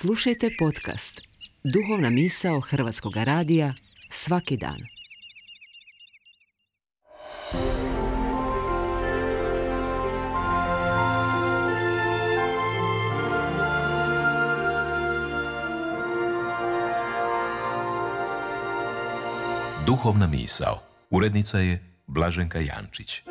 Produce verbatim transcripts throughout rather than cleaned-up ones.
Slušajte podcast Duhovna misao Hrvatskog radija svaki dan. Duhovna misao. Urednica je Blaženka Jančić.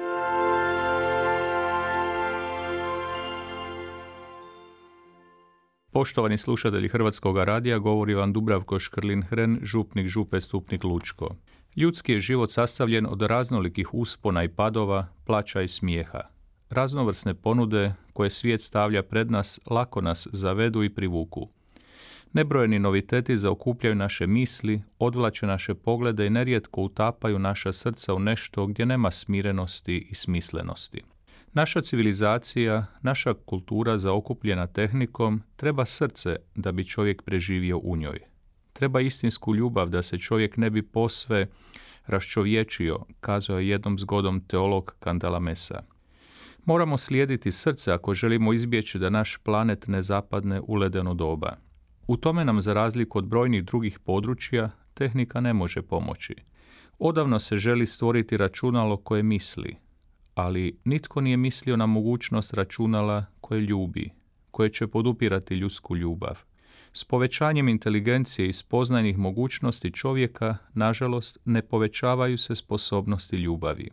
Poštovani slušatelji Hrvatskog radija, govori vam Dubravko Škrlin-Hren, župnik Župe Stupnik Lučko. Ljudski je život sastavljen od raznolikih uspona i padova, plaća i smijeha. Raznovrsne ponude koje svijet stavlja pred nas lako nas zavedu i privuku. Nebrojeni noviteti zaokupljaju naše misli, odvlače naše poglede i nerijetko utapaju naša srca u nešto gdje nema smirenosti i smislenosti. Naša civilizacija, naša kultura zaokupljena tehnikom, treba srce da bi čovjek preživio u njoj. Treba istinsku ljubav da se čovjek ne bi posve raščovječio, kazao je jednom zgodom teolog Cantalamessa. Moramo slijediti srce ako želimo izbjeći da naš planet ne zapadne u ledeno doba. U tome nam, za razliku od brojnih drugih područja, tehnika ne može pomoći. Odavno se želi stvoriti računalo koje misli, ali nitko nije mislio na mogućnost računala koje ljubi, koje će podupirati ljudsku ljubav. S povećanjem inteligencije i spoznajnih mogućnosti čovjeka, nažalost, ne povećavaju se sposobnosti ljubavi.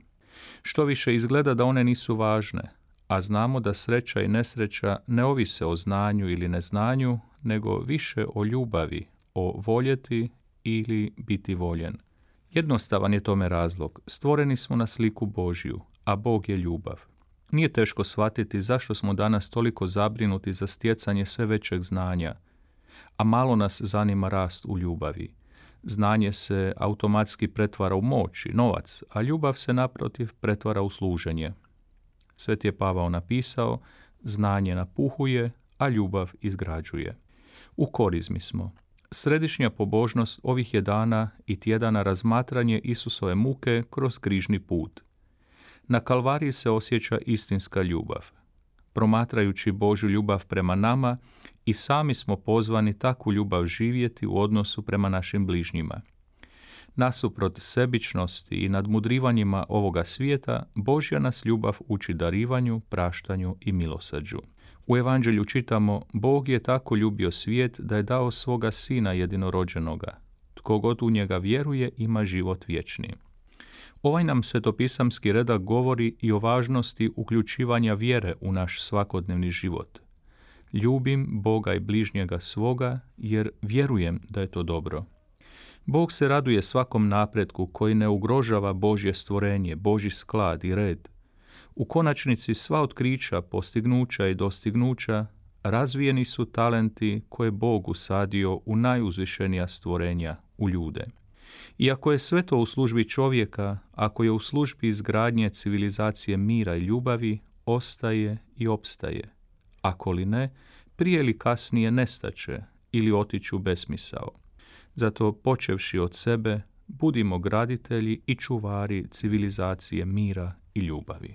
Što više izgleda da one nisu važne, a znamo da sreća i nesreća ne ovise o znanju ili neznanju, nego više o ljubavi, o voljeti ili biti voljen. Jednostavan je tome razlog. Stvoreni smo na sliku Božju, a Bog je ljubav. Nije teško shvatiti zašto smo danas toliko zabrinuti za stjecanje sve većeg znanja, a malo nas zanima rast u ljubavi. Znanje se automatski pretvara u moć i novac, a ljubav se naprotiv pretvara u služenje. Sveti je Pavao napisao, znanje napuhuje, a ljubav izgrađuje. U korizmi smo. Središnja pobožnost ovih je dana i tjedana razmatranje Isusove muke kroz križni put. Na Kalvariji se osjeća istinska ljubav. Promatrajući Božju ljubav prema nama, i sami smo pozvani takvu ljubav živjeti u odnosu prema našim bližnjima. Nasuprot sebičnosti i nadmudrivanjima ovoga svijeta, Božja nas ljubav uči darivanju, praštanju i milosrđu. U Evanđelju čitamo, Bog je tako ljubio svijet da je dao svoga sina jedinorođenoga. Tko god u njega vjeruje ima život vječni. Ovaj nam svetopisamski redak govori i o važnosti uključivanja vjere u naš svakodnevni život. Ljubim Boga i bližnjega svoga jer vjerujem da je to dobro. Bog se raduje svakom napretku koji ne ugrožava Božje stvorenje, Božji sklad i red. U konačnici sva otkrića, postignuća i dostignuća razvijeni su talenti koje Bog usadio u najuzvišenija stvorenja, u ljude. Iako je sve to u službi čovjeka, ako je u službi izgradnje civilizacije mira i ljubavi, ostaje i opstaje. Ako li ne, prije ili kasnije nestaće ili otiću u besmisao. Zato, počevši od sebe, budimo graditelji i čuvari civilizacije mira i ljubavi.